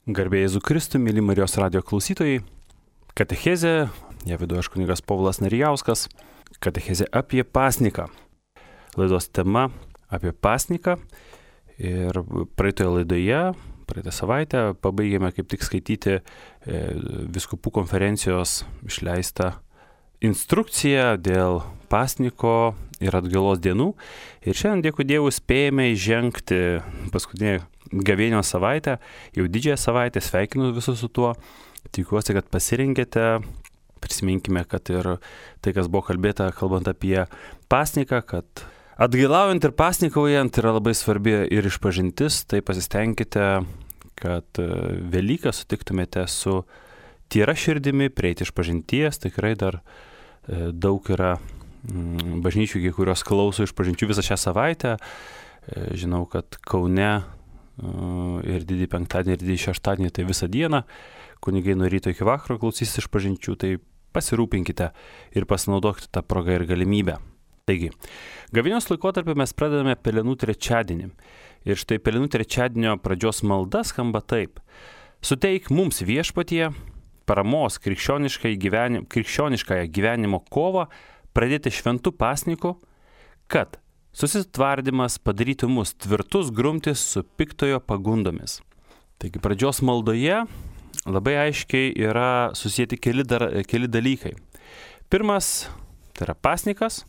Garbė Jėzų Kristų, myli Marijos radijo klausytojai. Katechezė, ją vedu aš kunigas Povilas Narijauskas. Katechezė apie pasniką. Laidos tema apie pasniką. Ir praeitoje laidoje, praeitą savaitę, pabaigėme kaip tik skaityti vyskupų konferencijos išleistą instrukciją dėl pasniko ir atgailos dienų. Ir šiandien, dėkui Dievui, spėjame įžengti paskutinį gavėnios savaitę, jau didžiąją savaitę. Sveikinu visus su tuo. Tikiuosi, kad pasirinkėte. Prisiminkime, kad ir tai, kas buvo kalbėta, kalbant apie pasniką, kad atgailaujant ir pasnikaujant yra labai svarbi ir išpažintis. Tai pasistengkite, kad Velyką sutiktumėte su tyra širdimi, prieiti išpažinties. Tikrai dar daug yra bažnyčių, kurios klauso išpažinčių visą šią savaitę. Žinau, kad Kaune ir didį penktadienį, ir didį šeštadienį, tai visą dieną kunigai nuo ryto iki vakaro klausys išpažinčių, tai pasirūpinkite ir pasinaudokite tą progą ir galimybę. Taigi, gavėnios laikotarpį mes pradedame Pelenų trečiadienį. Ir štai Pelenų trečiadienio pradžios malda skamba taip: Suteik mums, Viešpatie, paramos krikščioniškąją gyvenimo kovą pradėti šventu pasniku, kad susitvardymas padarytų mus tvirtus grumtis su piktojo pagundomis. Taigi pradžios maldoje labai aiškiai yra susijęti keli dalykai. Pirmas tai yra pasnikas,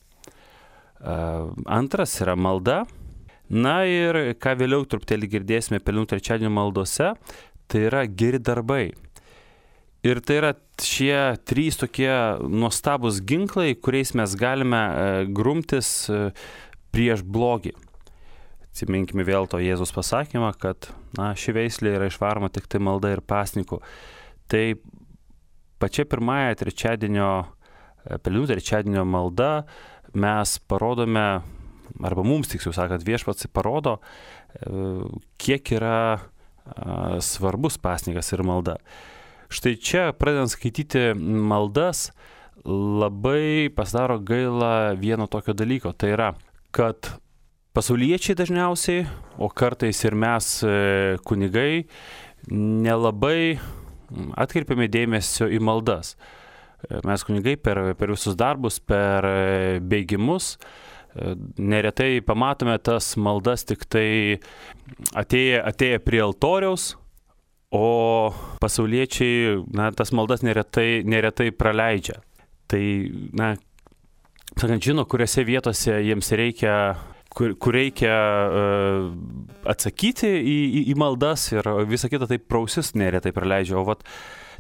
antras yra malda. Na ir ką vėliau truputėlį girdėsime Pelenų trečiadienio maldose, tai yra geri darbai. Ir tai yra šie trys tokie nuostabus ginklai, kuriais mes galime grumtis prieš blogį. Atsiminkime vėl to Jėzus pasakymą, kad ši veislė yra išvaroma tik tai malda ir pasniku. Tai pačia pirmąją Pelenų trečiadienio malda mes parodome, arba mums tiksliau sakant, Viešpats parodo, kiek yra svarbus pasnikas ir malda. Štai čia, pradedant skaityti maldas, labai pasidaro gaila vieno tokio dalyko. Tai yra, kad pasauliečiai dažniausiai, o kartais ir mes kunigai, nelabai atkreipiame dėmesio į maldas. Mes kunigai per visus darbus, per bėgimus, neretai pamatome tas maldas tik tai atėję prie altoriaus, o pasauliečiai tas maldas neretai praleidžia. Tai, sakant, žino, kuriuose vietose jiems reikia, kur reikia atsakyti į maldas, ir visą kitą taip prausis neretai praleidžia. O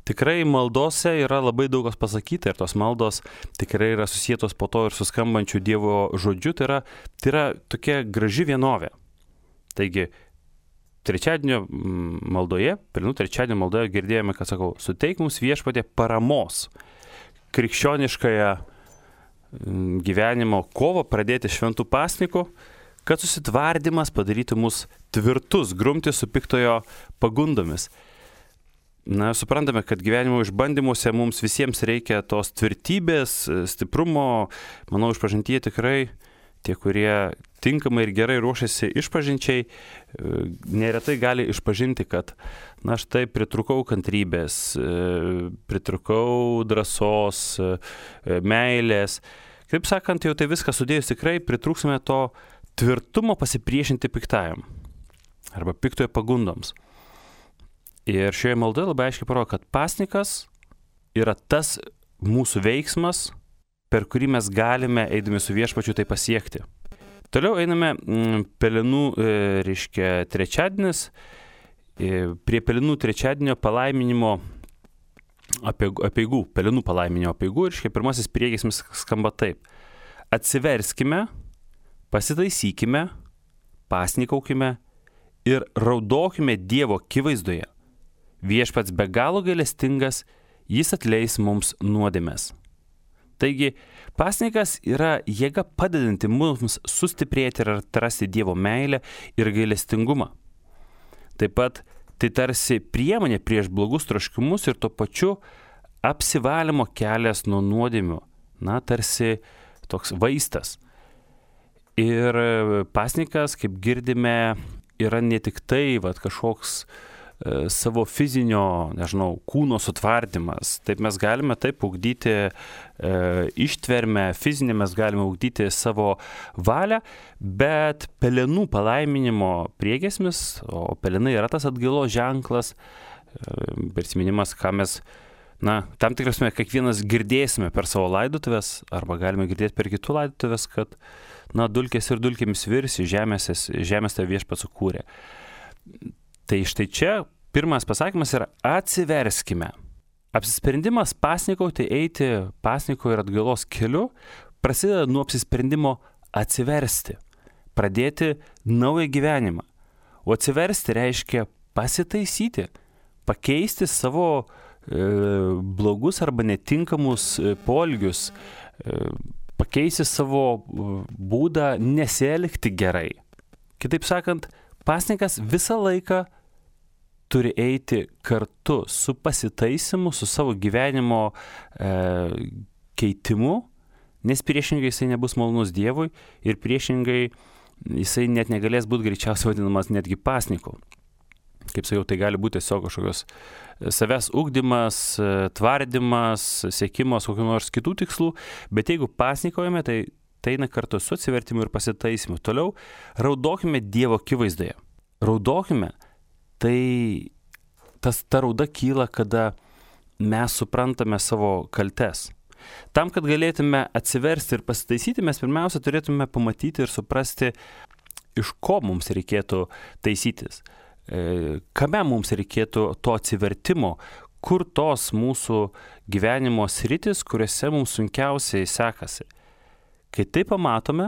tikrai maldose yra labai daug kas pasakyta, ir tos maldos tikrai yra susietos po to ir su skambančiu Dievo žodžiu. Tai yra tokia graži vienovė. Taigi, trečiadienio maldoje, Pelenų trečiadienio maldoje girdėjome, kad sakau, suteik mums, Viešpatie, paramos krikščioniškąją gyvenimo kovą pradėti šventų pasniku, kad susitvardymas padarytų mus tvirtus grumtis su piktojo pagundomis. Suprantame, kad gyvenimo išbandymuose mums visiems reikia tos tvirtybės, stiprumo. Manau, išpažintyje tikrai tie, kurie tinkamai ir gerai ruošiasi išpažinčiai, neretai gali išpažinti, kad štai pritrūkau kantrybės, pritrūkau drąsos, meilės. Kaip sakant, jau tai viską sudėjus tikrai pritrūksime to tvirtumo pasipriešinti piktajam arba piktojo pagundoms. Ir šioje maldoje labai aiškiai parodo, kad pasnikas yra tas mūsų veiksmas, per kurį mes galime, eidami su Viešpačiu, tai pasiekti. Toliau einame Pelenų, trečiadienis, prie Pelenų trečiadienio palaiminimo apeigų, Pelenų palaiminimo apeigų, ir pirmasis priegiesmis skamba taip: Atsiverskime, pasitaisykime, pasnikaukime ir raudokime Dievo akivaizdoje. Viešpats be galo gailestingas, jis atleis mums nuodėmes. Taigi, pasnikas yra jėga padedanti mums sustiprėti ir atrasti Dievo meilę ir gailestingumą. Taip pat tai tarsi priemonė prieš blogus troškimus ir tuo pačiu apsivalymo kelias nuo nuodėmių. Tarsi toks vaistas. Ir pasnikas, kaip girdime, yra ne tik tai kažkoks savo fizinio, kūno sutvardymas. Taip mes galime taip ugdyti ištvermę, fizinę mes galime ugdyti savo valią, bet pelenų palaiminimo priegiesmis, o pelenai yra tas atgailos ženklas, prisiminimas, ką mes tam tikrasme kiekvienas girdėsime per savo laidotuvės, arba galime girdėti per kitų laidotuvės, kad dulkės ir dulkėmis virsi, žemės tave viešpats sukūrė. Tai štai čia pirmas pasakymas yra atsiverskime. Apsisprendimas pasnikauti, eiti pasniko ir atgailos keliu prasideda nuo apsisprendimo atsiversti, pradėti naują gyvenimą. O atsiversti reiškia pasitaisyti, pakeisti savo blogus arba netinkamus poelgius, pakeisti savo būdą nesielgti gerai. Kitaip sakant, pasninkas visą laiką turi eiti kartu su pasitaisimu, su savo gyvenimo keitimu, nes priešingai jisai nebus malonus Dievui ir priešingai jisai net negalės būti greičiausiai vadinamas netgi pasniku. Kaip sakiau, tai gali būti tiesiog kažkokios savęs ugdymas, tvardymas, siekimas kokių nors kitų tikslų, bet jeigu pasnikaujame, tai eina kartu su atsivertimu ir pasitaisimu. Toliau raudokime Dievo akivaizdoje. Raudokime, tai ta rauda kyla, kada mes suprantame savo kaltes. Tam, kad galėtume atsiversti ir pasitaisyti, mes pirmiausia turėtume pamatyti ir suprasti, iš ko mums reikėtų taisytis. Kame mums reikėtų to atsivertimo, kur tos mūsų gyvenimo sritis, kuriuose mums sunkiausiai sekasi. Kai tai pamatome,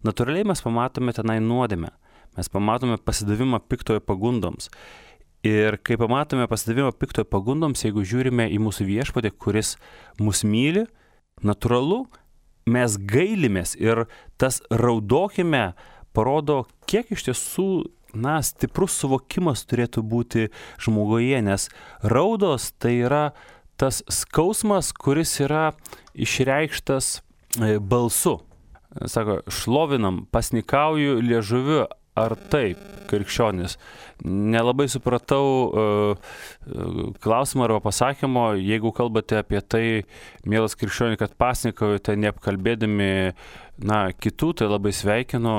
natūraliai mes pamatome tenai nuodėmę, mes pamatome pasidavimą piktojo pagundoms. Ir kai pamatome pasidavimą piktojo pagundoms, jeigu žiūrime į mūsų viešpatį, kuris mus myli, natūralu, mes gailimės ir tas raudokime parodo, kiek iš tiesų stiprus suvokimas turėtų būti žmoguje, nes raudos tai yra tas skausmas, kuris yra išreikštas balsu. Sako, šlovinam, pasnikauju liežuviu, ar taip, krikščionis. Nelabai supratau klausimą arba pasakymo, jeigu kalbate apie tai, mielas krikščionį, kad pasnikaujate neapkalbėdami kitų, tai labai sveikinu.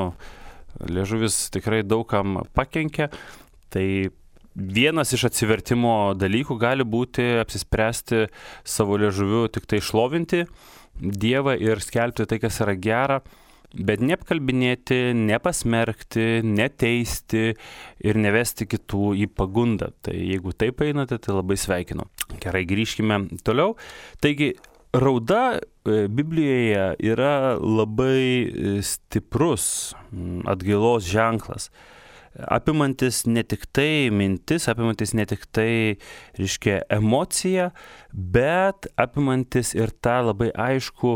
Liežuvis tikrai daugam pakenkia, tai vienas iš atsivertimo dalykų gali būti apsispręsti savo liežuviu tik tai šlovinti Dievą ir skelbti tai, kas yra gera, bet neapkalbinėti, nepasmerkti, neteisti ir nevesti kitų į pagundą. Tai jeigu taip einate, tai labai sveikinu. Gerai, grįžkime toliau. Taigi, rauda Biblijoje yra labai stiprus atgailos ženklas, apimantis ne tik tai mintis, apimantis ne tik tai, emociją, bet apimantis ir tą labai aišku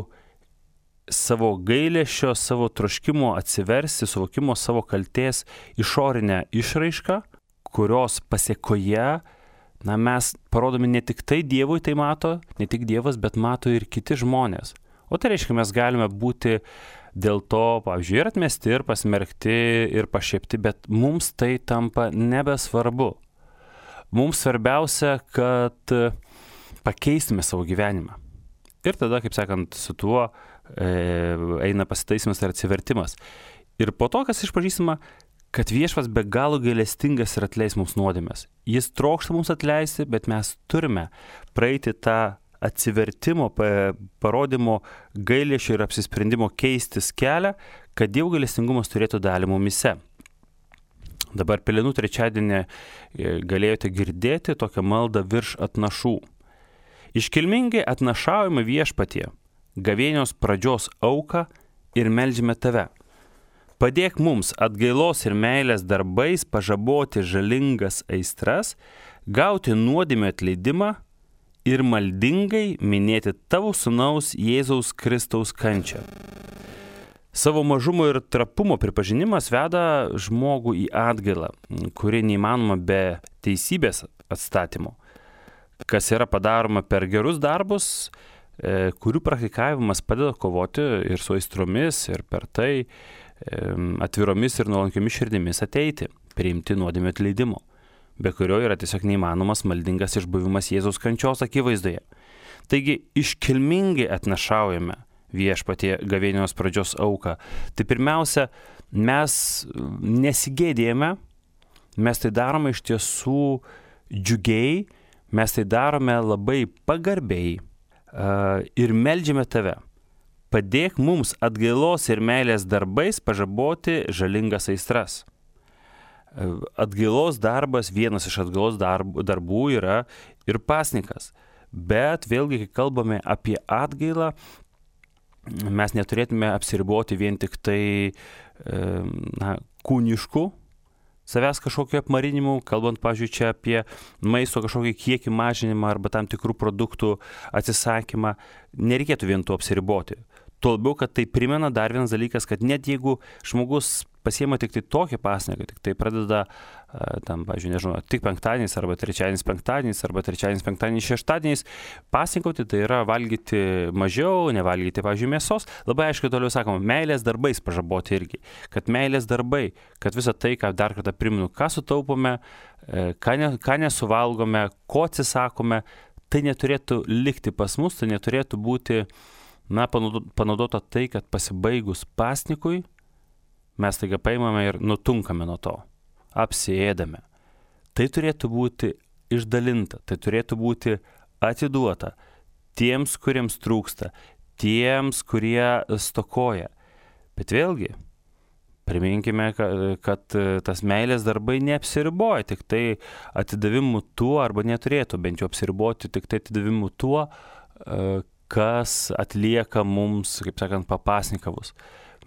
savo gailesčio, savo troškimo atsiversti, suvokimo savo kaltės išorinę išraišką, kurios pasėkoje mes parodome ne tik tai Dievui tai mato, ne tik Dievas, bet mato ir kiti žmonės. O tai reiškia, mes galime būti dėl to, pavyzdžiui, ir atmesti, ir pasmerkti, ir pašiepti, bet mums tai tampa nebesvarbu. Mums svarbiausia, kad pakeistume savo gyvenimą. Ir tada, kaip sakant, su tuo eina pasitaisimas ar atsivertimas. Ir po to, kas išpažįstama, kad viešpats be galo gailestingas ir atleis mums nuodėmes. Jis trokšta mums atleisti, bet mes turime praeiti tą atsivertimo, parodymo gailesčio ir apsisprendimo keistis kelią, kad Dievo gailestingumas turėtų dalį mumise. Dabar Pelenų trečiadienį galėjote girdėti tokią maldą virš atnašų. Iškilmingai atnašaujame viešpatie, gavėnios pradžios auką ir meldžiame tave. Padėk mums atgailos ir meilės darbais pažaboti žalingas aistras, gauti nuodėmę atleidimą ir maldingai minėti tavo sūnaus Jėzaus Kristaus kančią. Savo mažumo ir trapumo pripažinimas veda žmogų į atgailą, kuri neįmanoma be teisybės atstatymo, kas yra padaroma per gerus darbus, kurių praktikavimas padeda kovoti ir su aistromis, ir per tai atviromis ir nuolankiomis širdimis ateiti, priimti nuodėmę atleidimo. be kurio yra tiesiog neįmanomas maldingas išbuvimas Jėzaus kančios akivaizdoje. Taigi iškilmingai atnašaujame Viešpatie gavėnios pradžios auką. Tai pirmiausia, mes nesigėdėjame, mes tai darome iš tiesų džiugiai, mes tai darome labai pagarbiai ir meldžiame tave. Padėk mums atgailos ir meilės darbais pažaboti žalingas aistras. Atgailos darbas, vienas iš atgailos darbų yra ir pasnikas. Bet vėlgi, kai kalbame apie atgailą, mes neturėtume apsiriboti vien tik tai kūniškų savęs kažkokio apmarinimu, kalbant, pavyzdžiui, čia apie maisto kažkokį kiekį mažinimą arba tam tikrų produktų atsisakymą. Nereikėtų vien to apsiriboti. Tuo labiau, kad tai primena dar vienas dalykas, kad net jeigu žmogus pasiema tik tai tokį pasniką, tik tai pradeda tam, pavyzdžiui, nežinau, tik penktadieniais arba trečiadienis penktadieniais arba trečiadienis penktadieniais šeštadieniais pasninkauti, tai yra valgyti mažiau, nevalgyti, pavyzdžiui, mėsos. Labai aiškiai toliau sakoma, meilės darbais pažaboti irgi. Kad meilės darbai, kad visą tai, ką dar kartą primenu, ką sutaupome, ką nesuvalgome, ko atsisakome, tai neturėtų likti pas mus, tai neturėtų būti panaudota tai, kad pasibaigus pasnikui mes taiga paimame ir nutunkame nuo to, apsiėdame. Tai turėtų būti išdalinta, tai turėtų būti atiduota tiems, kuriems trūksta, tiems, kurie stokoja. Bet vėlgi, priminkime, kad tas meilės darbai neapsiriboja tik tai atidavimu tuo, arba neturėtų bent jau apsiriboti tik tai atidavimu tuo, kas atlieka mums, kaip sakant, papasnikavus.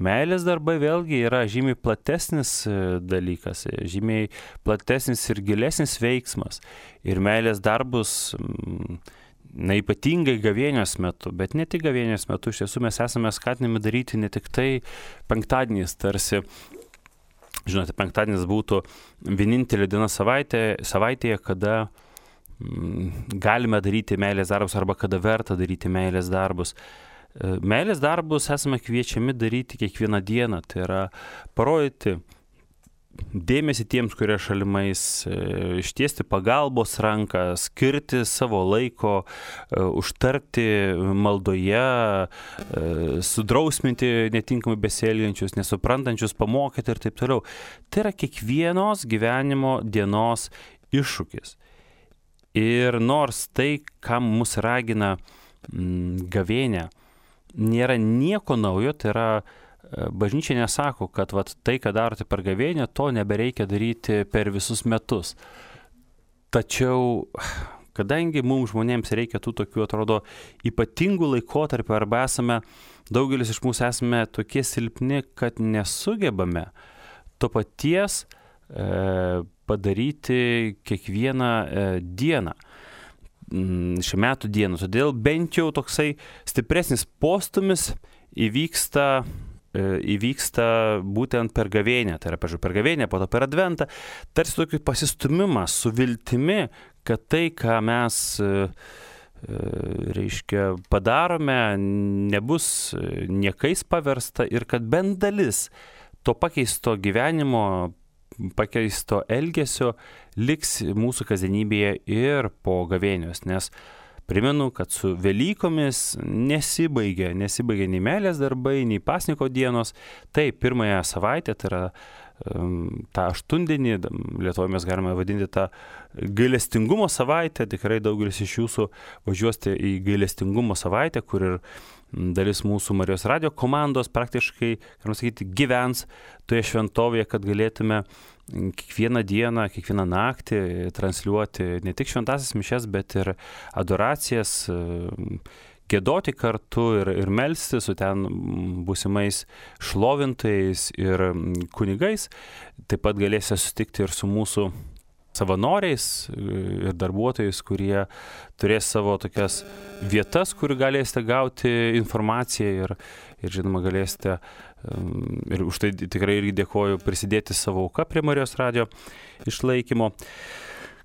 Meilės darbai vėlgi yra žymiai platesnis dalykas, žymiai platesnis ir gilesnis veiksmas. Ir meilės darbus, ypatingai gavėnios metu, bet ne tik gavėnios metu, iš tiesų mes esame skatinami daryti ne tik tai penktadieniais, tarsi, žinote, penktadienis būtų vienintelė diena savaitėje, kada galime daryti meilės darbus arba kada verta daryti meilės darbus. Meilės darbus esame kviečiami daryti kiekvieną dieną, tai yra parodyti dėmesį tiems, kurie šalimais, ištiesti pagalbos ranką, skirti savo laiko, užtarti maldoje, sudrausminti netinkamai besielgiančius, nesuprantančius, pamokyti ir taip toliau. Tai yra kiekvienos gyvenimo dienos iššūkis. Ir nors tai, ką mus ragina gavėnia, nėra nieko naujo, tai yra bažnyčia nesako, kad tai, ką darote per gavėnią, to nebereikia daryti per visus metus. Tačiau, kadangi mums žmonėms reikia tų tokių, atrodo, ypatingų laikotarpių, arba daugelis iš mūsų esame tokie silpni, kad nesugebame to paties padaryti kiekvieną dieną, šių metų dieną. Todėl bent jau toksai stipresnis postumis įvyksta būtent per gavėnią. Tai yra, pažiūrėjau, per gavėnią, po to per adventą. Tarsi tokį pasistumimą su viltimi, kad tai, ką mes padarome, nebus niekais paversta ir kad bent dalis to pakeisto gyvenimo, pakeisto elgesio liks mūsų kasdienybėje ir po gavėnios, nes primenu, kad su Velykomis nesibaigia nei meilės darbai, nei pasniko dienos. Tai pirmąją savaitę, tai yra tą aštundienį, Lietuvoje mes galime vadinti tą gailestingumo savaitę. Tikrai daugelis iš jūsų važiuosite į gailestingumo savaitę, kur ir dalis mūsų Marijos radio komandos praktiškai, galima sakyti, gyvens toje šventovėje, kad galėtume kiekvieną dieną, kiekvieną naktį transliuoti ne tik šventąsias mišias, bet ir adoracijas, giedoti kartu ir melstis su ten būsimais šlovintojais ir kunigais. Taip pat galėsite susitikti ir su mūsų savanoriais ir darbuotojais, kurie turės savo tokias vietas, kur galėsite gauti informaciją ir žinoma, galėsite, ir už tai tikrai irgi dėkoju, prisidėti savo auką prie Marijos radio išlaikymo.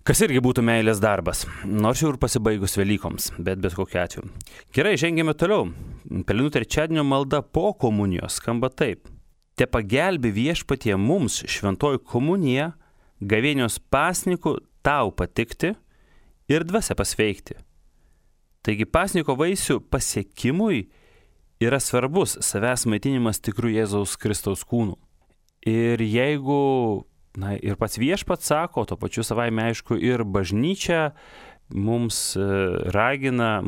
Kas irgi būtų meilės darbas, nors jau ir pasibaigus Velykoms, bet kokiu atveju. Gerai, žengėme toliau. Pelenų trečiadienio malda po komunijos skamba taip. Te pagelbi Viešpatie mums šventoji komunija, gavėnios pasniku tau patikti ir dvasia pasveikti. Taigi pasniko vaisių pasiekimui yra svarbus savęs maitinimas tikrų Jėzaus Kristaus kūnų. Ir jeigu, ir pats viešpats sako, to pačiu savaime aišku, ir bažnyčia mus ragina,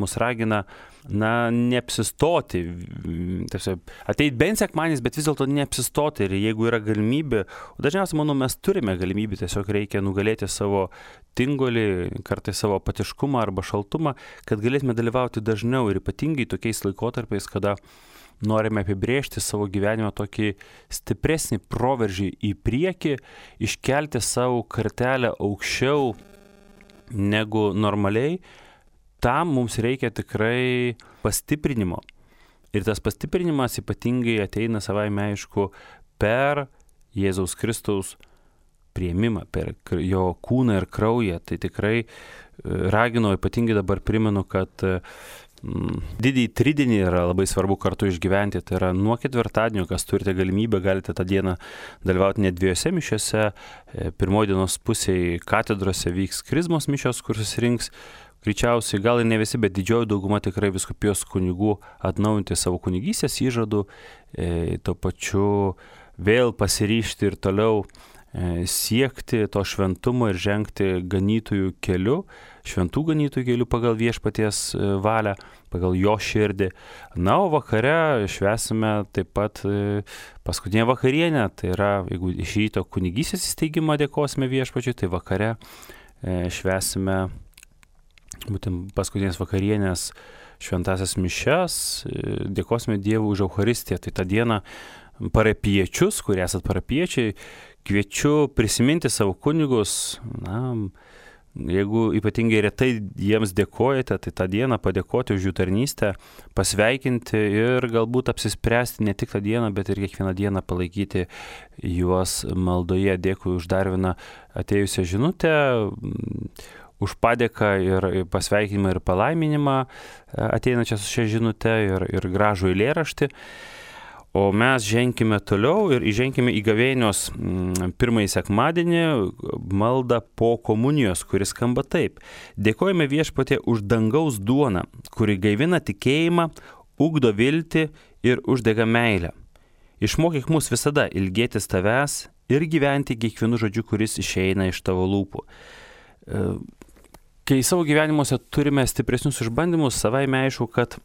neapsistoti, ateit bent sekmadienis, bet vis dėlto neapsistoti. Ir jeigu yra galimybė, dažniausiai, manau, mes turime galimybę, tiesiog reikia nugalėti savo tingolį, kartais savo apatiškumą arba šaltumą, kad galėtume dalyvauti dažniau ir ypatingai tokiais laikotarpiais, kada norime apibrėžti savo gyvenimą tokį stipresnį proveržį į priekį, iškelti savo kartelę aukščiau negu normaliai. Tam mums reikia tikrai pastiprinimo. Ir tas pastiprinimas ypatingai ateina savaime aišku per Jėzaus Kristaus priėmimą, per jo kūną ir kraują. Tai tikrai raginu, ypatingai dabar primenu, kad didįjį tridienį yra labai svarbu kartu išgyventi. Tai yra nuo ketvirtadienio, kas turite galimybę, galite tą dieną dalyvauti net 2 mišiose. Pirmoji dienos pusėje katedrose vyks krizmos mišios, kur susirinks greičiausiai, gal ir ne visi, bet didžioji dauguma tikrai vyskupijos kunigų atnaujinti savo kunigystės įžadų, tuo pačiu vėl pasiryžti ir toliau siekti to šventumo ir žengti ganytojų keliu, šventų ganytojų keliu pagal viešpaties valią, pagal jo širdį. Na, o vakare švęsime taip pat paskutinę vakarienę, tai yra, jeigu iš ryto kunigystės įsteigimą dėkosime viešpačiui, tai vakare švęsime būtent paskutinės vakarienės šventasias mišias, dėkosime Dievui už Eucharistiją. Tai tą dieną parapiečius, kurie esat parapiečiai, kviečiu prisiminti savo kunigus. Jeigu ypatingai retai jiems dėkojate, tai tą dieną padėkoti už jų tarnystę, pasveikinti ir galbūt apsispręsti ne tik tą dieną, bet ir kiekvieną dieną palaikyti juos maldoje. Dėkui už dar vieną atėjusią žinutę, už padėką ir pasveikinimą ir palaiminimą ateinančią su šia žinute ir gražų eilėraštį. O mes ženkime toliau ir įženkime į gavėnios pirmąjį sekmadienį maldą po komunijos, kuris skamba taip. Dėkojame viešpatie už dangaus duoną, kuri gaivina tikėjimą, ugdo viltį ir uždega meilę. Išmokyk mus visada ilgėtis tavęs ir gyventi kiekvienu žodžiu, kuris išeina iš tavo lūpų. Kai savo gyvenimuose turime stipresnius išbandymus, savaime aišku, kad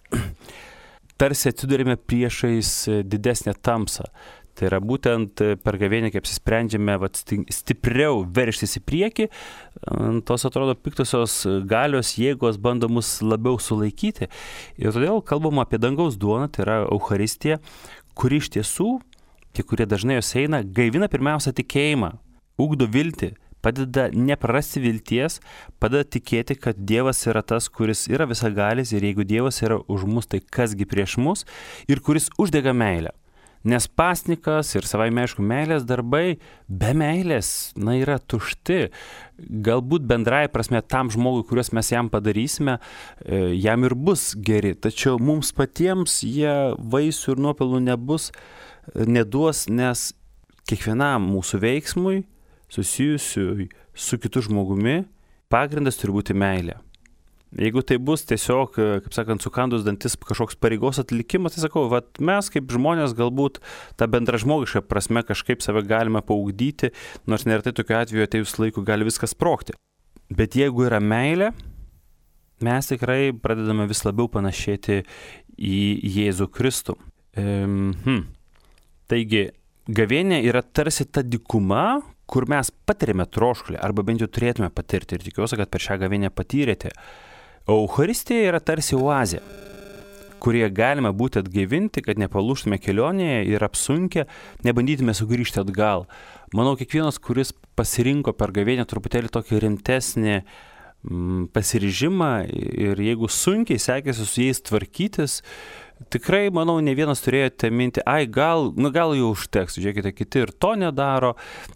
tarsi atsidurime priešais didesnę tamsą. Tai yra būtent per gavėnią, kai apsisprendžiame stipriau verštis į priekį, tos atrodo piktosios galios jėgos bando mus labiau sulaikyti. Ir todėl kalbama apie dangaus duoną, tai yra Eucharistija, kuri iš tiesų, tie, kurie dažnai jos eina, gaivina pirmiausia tikėjimą, ugdo viltį, padeda neprarasti vilties, padeda tikėti, kad Dievas yra tas, kuris yra visagalis ir jeigu Dievas yra už mus, tai kasgi prieš mus ir kuris uždega meilę. Nes pasnikas ir savaime aišku meilės darbai be meilės, yra tušti. Galbūt bendrai prasme tam žmogui, kuriuos mes jam padarysime, jam ir bus geri, tačiau mums patiems jie vaisių ir nuopelnų neduos, nes kiekvienam mūsų veiksmui susijusiu su kitu žmogumi, pagrindas turi būti meilė. Jeigu tai bus tiesiog, kaip sakant, sukandus dantis kažkoks pareigos atlikimas, tai sakau, mes kaip žmonės galbūt tą bendražmogišką prasme kažkaip save galime paugdyti, nors neretai tokiu atveju atėjus laiku gali viskas sprogti. Bet jeigu yra meilė, mes tikrai pradedame vis labiau panašėti į Jėzų Kristų. Taigi, gavėnė yra tarsi ta dykuma, kur mes patiriame troškulį, arba bent jau turėtume patirti, ir tikiuosi, kad per šią gavėnę patyrėte. Eucharistija yra tarsi oazė, kurie galime būti atgaivinti, kad nepalūžtume kelionėje ir apsunkę, nebandytume sugrįžti atgal. Manau, kiekvienas, kuris pasirinko per gavėnę truputėlį tokį rimtesnį pasiryžimą ir jeigu sunkiai sekėsi su jais tvarkytis, Tikrai, manau, ne vienas turėjote mintį, gal jau užteks, žiūrėkite, kiti ir to nedaro,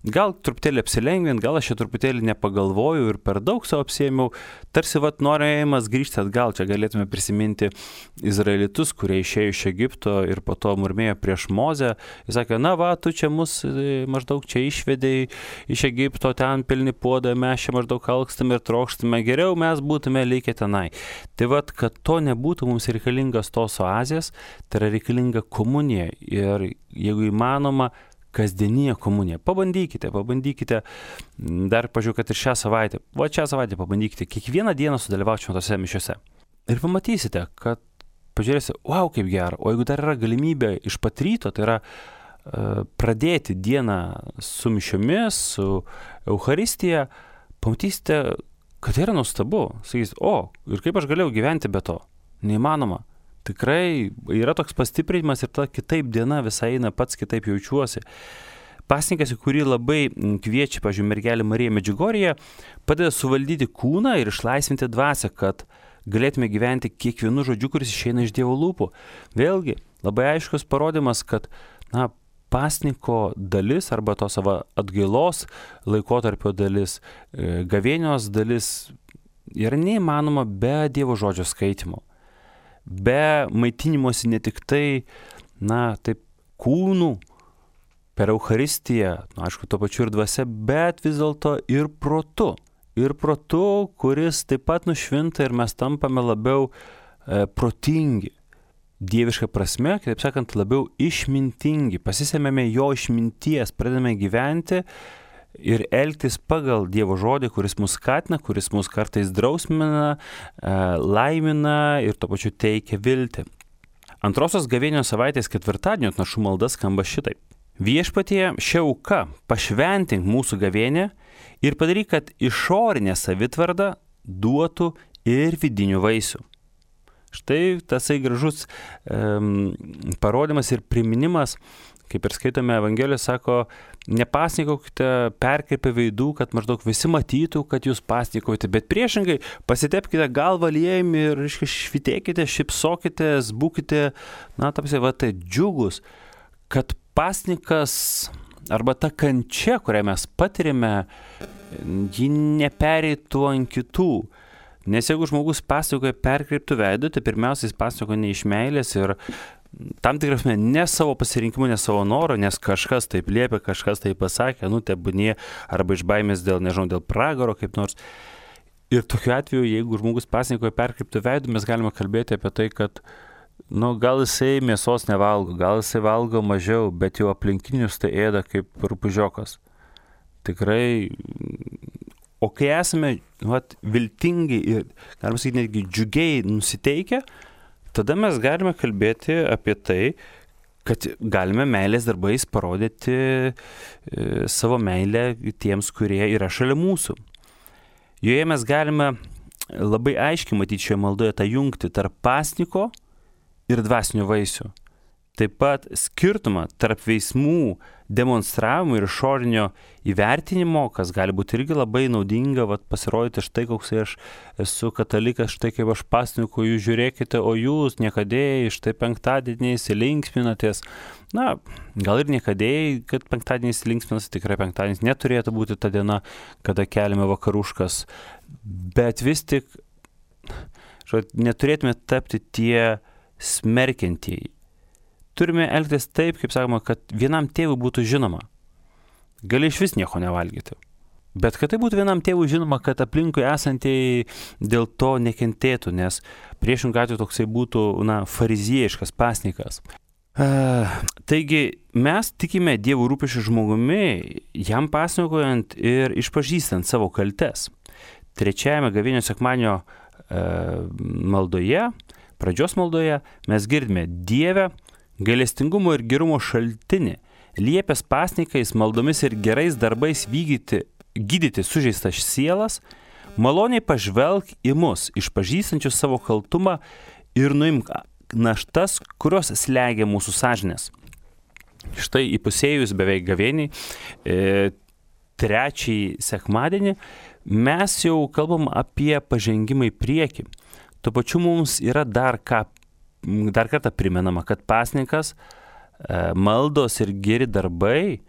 gal truputėlį apsilengvint, gal aš čia truputėlį nepagalvoju ir per daug savo apsėmiau, tarsi norėjimas grįžti atgal, čia galėtume prisiminti izraelitus, kurie išėjo iš Egipto ir po to murmėjo prieš Mozę, jis sakė, na va, tu čia mus maždaug čia išvedei iš Egipto, ten pilni puodai, mes čia maždaug alkstame ir trokštame, geriau mes būtume likę tenai. Tai vat, kad to nebūtų, mums reikalingas tos oazės, tai yra reikalinga komunija ir jeigu įmanoma, kasdieninė komunija. Pabandykite, dar pažiūrėjau, kad ir šią savaitę pabandykite kiekvieną dieną sudalyvauti šventose mišiose. Ir pamatysite, kad pažiūrėsite, wow, kaip gera, o jeigu dar yra galimybė iš pat ryto, tai yra pradėti dieną su mišiomis, su Eucharistija, pamatysite, kad tai yra nuostabu. Sakysite, ir kaip aš galėjau gyventi be to? Neįmanoma. Tikrai yra toks pastiprinimas ir ta kitaip diena visai eina, pats kitaip jaučiuosi. Pasninkas, į kurį labai kviečia, pavyzdžiui, mergelė Marija Medžiugorjė, padeda suvaldyti kūną ir išlaisvinti dvasią, kad galėtume gyventi kiekvienu žodžiu, kuris išeina iš Dievo lūpų. Vėlgi, labai aiškus parodymas, kad, pasninko dalis arba to savo atgailos laikotarpio dalis, gavėnios dalis yra neįmanoma be Dievo žodžio skaitimo. Be maitinimosi ne tik tai, taip kūnų per Eucharistiją, aišku, tuo pačiu ir dvasia, bet vis dėlto ir protu. Ir protu, kuris taip pat nušvinta ir mes tampame labiau protingi. Dieviška prasme, kitaip sakant, labiau išmintingi. Pasisėmėme jo išminties, pradedame gyventi ir elgtis pagal Dievo žodį, kuris mus skatina, kuris mus kartais drausmina, laimina ir tuo pačiu teikia viltį. Antrosios gavėnios savaitės ketvirtadienio atnašų malda skamba šitaip. Viešpatie, šia auka pašventink mūsų gavėnę ir padaryk, kad išorinė savitvarda duotų ir vidinių vaisių. Štai tasai gražus parodymas ir priminimas, kaip ir skaitome Evangelijoje, sako, nepasnikaukite perkreipę veidų, kad maždaug visi matytų, kad jūs pasnikaujate, bet priešingai pasitepkite galvą aliejumi ir švitėkite, šypsokitės, būkite, tai džiugus, kad pasnikas arba ta kančia, kurią mes patirime, ji nepereitų ant kitų. Nes jeigu žmogus pasakoja perkreiptų veidų, tai pirmiausia jis pasakoja ne iš meilės ir tam tikrasme ne savo pasirinkimu, ne savo noro, nes kažkas taip liepia, kažkas taip pasakė, tebūnie, arba iš baimės dėl pragaro kaip nors. Ir tokiu atveju, jeigu žmogus pasakoja perkreiptų veidų, mes galime kalbėti apie tai, kad gal jisai mėsos nevalgo, gal jisai valgo mažiau, bet jau aplinkinius tai ėda kaip rupūžiokas. Tikrai. O kai esame viltingi ir, galima sakyti, netgi džiugiai nusiteikę, tada mes galime kalbėti apie tai, kad galime meilės darbais parodyti savo meilę tiems, kurie yra šalia mūsų. Joje mes galime labai aiškiai matyti šioje maldoje tą jungtį tarp pasniko ir dvasinių vaisių. Taip pat skirtumą tarp veiksmų demonstravimo ir išorinio įvertinimo, kas gali būti irgi labai naudinga, pasirodyti štai koks aš esu katalikas, štai kaip aš pasninku, jūs žiūrėkite, o jūs niekadėjai, štai penktadieniais linksminatės. Gal ir niekadėjai, kad penktadieniais linksminas, tikrai penktadienis neturėtų būti ta diena, kada keliame vakaruškas, bet vis tik neturėtume tapti tie smerkiantieji. Turime elgtis taip, kaip sakoma, kad vienam tėvui būtų žinoma. Gali iš vis nieko nevalgyti. Bet kad tai būtų vienam tėvui žinoma, kad aplinkui esantieji dėl to nekentėtų, nes priešingų atveju toksai būtų, fariziejiškas pasnikas. Taigi mes tikime Dievo rūpesčiu žmogumi, jam pasnikojant ir išpažįstant savo kaltes. Trečiajame gavėnios sekmadienio maldoje, pradžios maldoje, mes girdime Dieve, gailestingumo ir gerumo šaltinį, liepęs pasnikais, maldomis ir gerais darbais gydyti sužeistas sielas, maloniai pažvelk į mus, išpažįstančius savo kaltumą ir nuimk naštas, kurios slegia mūsų sąžinės. Štai įpusėjus beveik gavėniai, trečiąjį sekmadienį, mes jau kalbam apie pažengimą į priekį. Tuo pačiu mums yra dar ką dar kartą primenama, kad pasninkas, maldos ir geri darbai,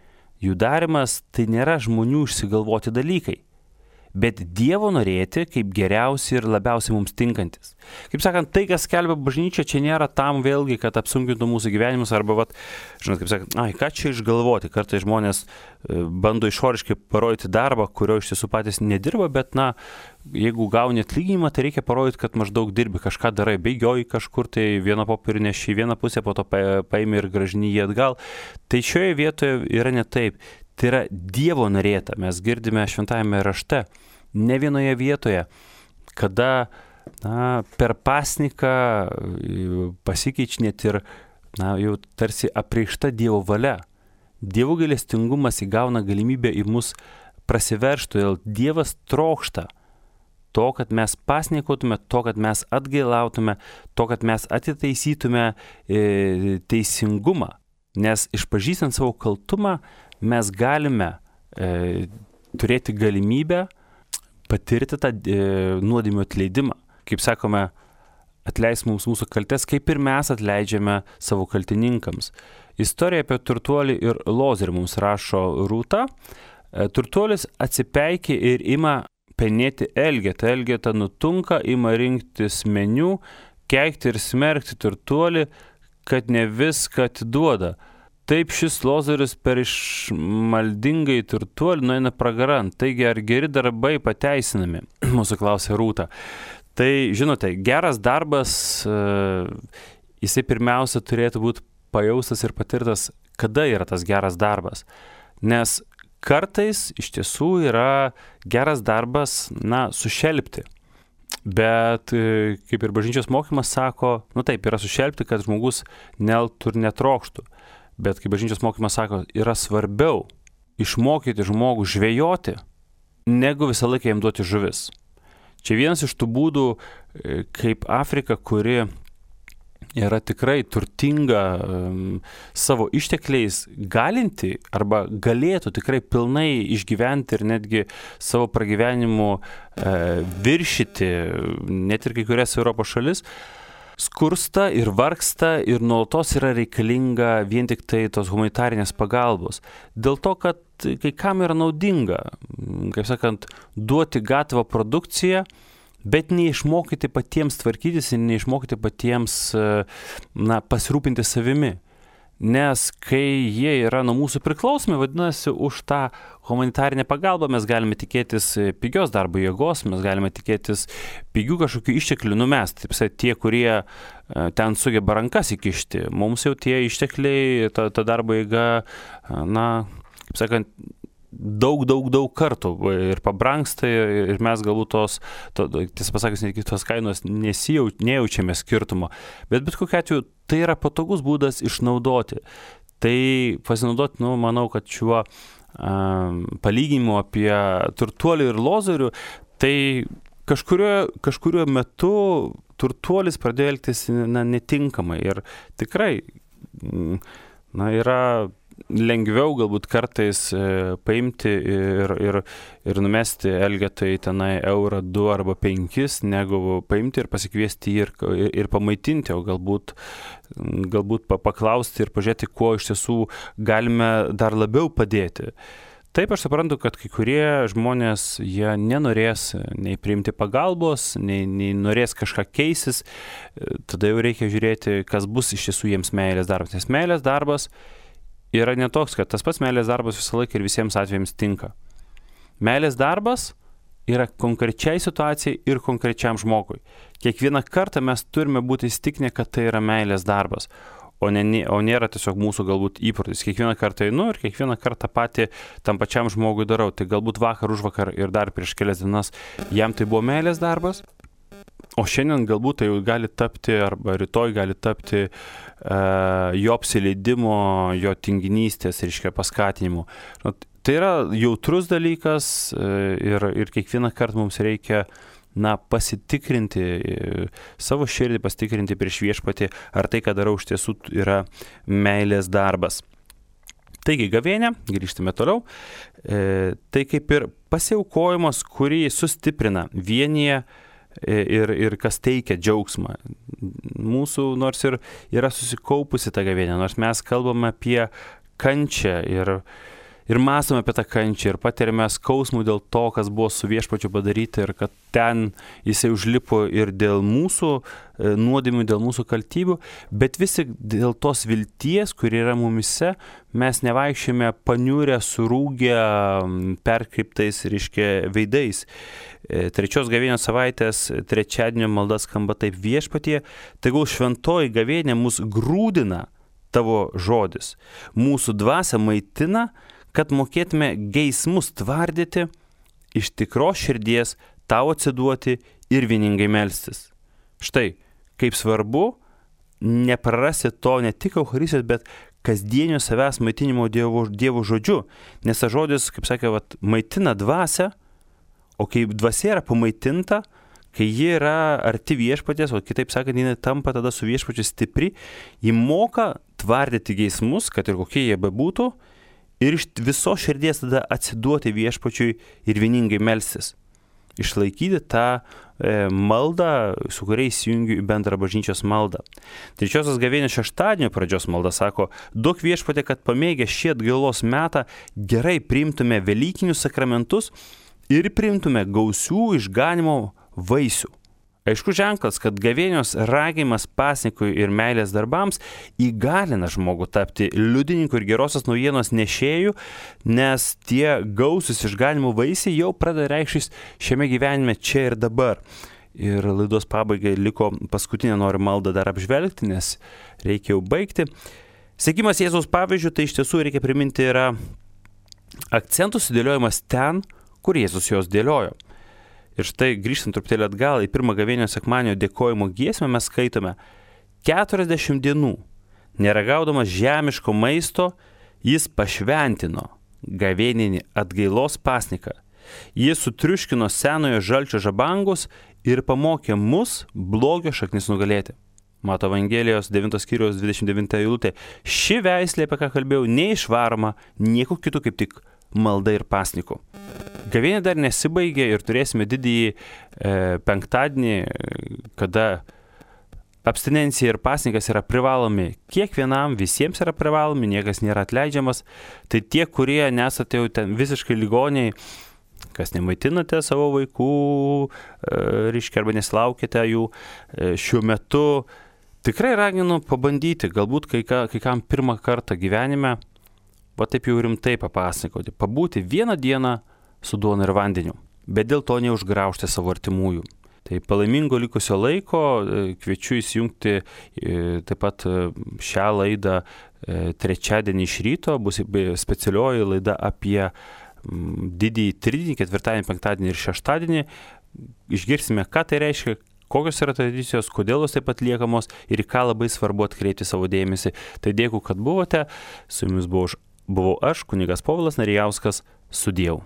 jų darimas tai nėra žmonių išsigalvoti dalykai, bet Dievo norėti kaip geriausi ir labiausiai mums tinkantis. Kaip sakant, tai, kas skelbia bažnyčia, čia nėra tam vėlgi, kad apsunkintų mūsų gyvenimus arba, žinot, kaip sakant, ką čia išgalvoti. Kartais žmonės bando išoriškai parodyti darbą, kurio iš tiesų patys nedirba, bet, jeigu gauni atlyginimą, tai reikia parodyti, kad maždaug dirbi, kažką darai, bėgioji kažkur, tai vieną popierį neši į vieną pusę, po to paimi ir grąžini jį atgal. Tai šioje vietoje yra ne taip. Tai yra Dievo norėta. Mes girdime šventajame rašte, ne vienoje vietoje, kada per pasniką pasikeičia net ir jau tarsi apreikšta Dievo valia. Dievo gailestingumas įgauna galimybę į mus prasiveržti, todėl Dievas trokšta to, kad mes pasnikotume, to, kad mes atgailautume, to, kad mes atitaisytume teisingumą. Nes išpažįstant savo kaltumą, mes galime turėti galimybę patirti tą nuodėmių atleidimą. Kaip sakome, atleis mums mūsų kaltes, kaip ir mes atleidžiame savo kaltininkams. Istorija apie turtuolį ir lozerį mums rašo Rūta. Turtuolis atsipeikė ir ima penėti Elgetą. Elgeta nutunka, ima rinktis meniu, keikti ir smerkti turtuolį, kad ne viską atiduoda. Taip šis lozeris per išmaldingai turtuolį nueina pragaran. Taigi, ar geri darbai pateisinami? Mūsų klausė Rūta. Tai, žinote, geras darbas, jisai pirmiausia turėtų būti pajaustas ir patirtas, kada yra tas geras darbas. Nes kartais iš tiesų yra geras darbas, sušelpti. Bet, kaip ir bažnyčios mokymas sako, taip, yra sušelpti, kad žmogus neelgtų ir netrokštų. Bet, kaip bažnyčios mokymas sako, yra svarbiau išmokyti žmogų žvejoti, negu visą laiką jam duoti žuvis. Čia vienas iš tų būdų, kaip Afrika, kuri yra tikrai turtinga savo ištekliais, galinti arba galėtų tikrai pilnai išgyventi ir netgi savo pragyvenimu viršyti net ir kai kurias Europos šalis, skursta ir vargsta ir nuolatos yra reikalinga vien tik tai tos humanitarinės pagalbos. Dėl to, kad kai kam yra naudinga, kaip sakant, duoti gatavą produkciją, bet neišmokyti patiems tvarkytis ir neišmokyti patiems pasirūpinti savimi. Nes kai jie yra nuo mūsų priklausomi, vadinasi, už tą humanitarinę pagalbą mes galime tikėtis pigios darbo jėgos, mes galime tikėtis pigių kažkokių išteklių numesti. Taip, tie, kurie ten sugeba rankas įkišti, mums jau tie ištekliai, ta darbo jėga, kaip sakant, daug kartų ir pabrangsta ir mes galbūt tiesą pasakius, netgi tos kainos nejaučiame skirtumo. Bet kokiu atveju tai yra patogus būdas išnaudoti. Tai pasinaudoti, manau, kad šiuo palyginimu apie turtuolį ir lozorių, tai kažkuriuo metu turtuolis pradėjo elgtis netinkamai ir tikrai yra lengviau galbūt kartais paimti ir numesti Elgetai tenai eurą, 2 arba 5, negu paimti ir pasikviesti ir pamaitinti, o galbūt paklausti ir pažiūrėti, kuo iš tiesų galime dar labiau padėti. Taip, aš suprantu, kad kai kurie žmonės, jie nenorės nei priimti pagalbos, nei norės kažką keisis, tada jau reikia žiūrėti, kas bus iš tiesų jiems meilės darbas. Nes meilės darbas yra netoks, kad tas pats meilės darbas visą laiką ir visiems atvejams tinka. Meilės darbas yra konkrečiai situacijai ir konkrečiam žmogui. Kiekvieną kartą mes turime būti įsitikinę, kad tai yra meilės darbas, o nėra tiesiog mūsų galbūt įprotis. Kiekvieną kartą einu ir kiekvieną kartą patį tam pačiam žmogui darau. Tai galbūt vakar, užvakar ir dar prieš kelias dienas jam tai buvo meilės darbas, o šiandien galbūt tai gali tapti, arba rytoj gali tapti jo apsileidimo, jo tinginystės, paskatinimo. Tai yra jautrus dalykas ir kiekvieną kartą mums reikia pasitikrinti savo širdį, pasitikrinti prieš viešpatį, ar tai, ką darau, iš tiesų yra meilės darbas. Taigi, gavėnia, grįžtame toliau, tai kaip ir pasiaukojimas, kurį sustiprina, vienyje ir kas teikia džiaugsmą. Mūsų nors ir yra susikaupusi ta gavėnia, nors mes kalbame apie kančią ir mąstome apie tą kančią ir patiriame skausmų dėl to, kas buvo su viešpačiu padaryta ir kad ten jisai užlipo ir dėl mūsų nuodėmių, dėl mūsų kaltybių, bet visi dėl tos vilties, kuri yra mumise, mes nevaikščiame paniurę, surūgę, perkreiptais, veidais. Trečios gavėnios savaitės trečiadienio malda skamba taip: Viešpatie, tegul šventoji gavėnia mus grūdina tavo žodis, mūsų dvasia maitina, kad mokėtume geismus tvardyti, iš tikros širdies tau atsiduoti ir vieningai melstis. Štai, kaip svarbu neprarasti to ne tik Eucharistijos, bet kasdienio savęs maitinimo Dievo žodžiu. Nes tas žodis, kaip sakė, maitina dvasią, o kai dvasia yra pamaitinta, kai ji yra arti viešpaties, o kitaip sakant, ji tampa tada su viešpačiu stipri, ji moka tvardyti geismus, kad ir kokie jie bebūtų, ir iš viso širdies tada atsiduoti viešpačiui ir vieningai melstis. Išlaikyti tą maldą, su kuria įsijungiu į bendrą bažnyčios maldą. Trečiosios gavėnios šeštadienio pradžios malda sako: duok Viešpatie, kad pamėgę šį atgailos metą gerai priimtume velykinius sakramentus ir priimtume gausių išganimo vaisių. Aišku ženklas, kad gavėnios ragimas pasnikui ir meilės darbams įgalina žmogų tapti liudininku ir gerosios naujienos nešėjų, nes tie gausius išganimo vaisiai jau pradeda reikštis šiame gyvenime čia ir dabar. Ir laidos pabaigai liko paskutinę noriu maldą dar apžvelgti, nes reikia jau baigti. Sekimas Jėzaus pavyzdžių, tai iš tiesų reikia priminti, yra akcentų sudėliojimas ten, kur Jėzus jos dėliojo. Ir štai grįžtant truputėlį atgal į pirmą gavėnios sekmadienio dėkojimo giesmę mes skaitome: 40 dienų, neragaudamas žemiško maisto, jis pašventino gavėninį atgailos pasniką. Jis sutriuškino senojo žalčio žabangus ir pamokė mus blogio šaknis nugalėti. Mato Evangelijos 9 skyriaus 29 eilutė. Ši veislė, apie ką kalbėjau, neišvaroma nieko kitų kaip tik malda ir pasniku. Gavėnė dar nesibaigė ir turėsime didįjį penktadienį, kada abstinencija ir pasnikas yra privalomi kiekvienam, visiems yra privalomi, niekas nėra atleidžiamas. Tai tie, kurie nesate jau ten visiškai ligoniai, kas nemaitinate savo vaikų, arba nesilaukite jų šiuo metu, tikrai raginu pabandyti, galbūt kai kam pirmą kartą gyvenime, taip jau rimtai papasakoti, pabūti vieną dieną su duona ir vandeniu, bet dėl to neužgraužti savo artimųjų. Tai palaimingo likusio laiko, kviečiu įsijungti taip pat šią laidą trečiadienį iš ryto, bus specialioji laida apie didįjį tridienį, ketvirtadienį, penktadienį ir šeštadienį. Išgirsime, ką tai reiškia, kokios yra tradicijos, kodėl jos taip pat liekamos ir ką labai svarbu atkreipti savo dėmesį. Tai dėkui, kad buvote, su jumis buvau aš, kunigas Povilas Narijauskas, sudieu.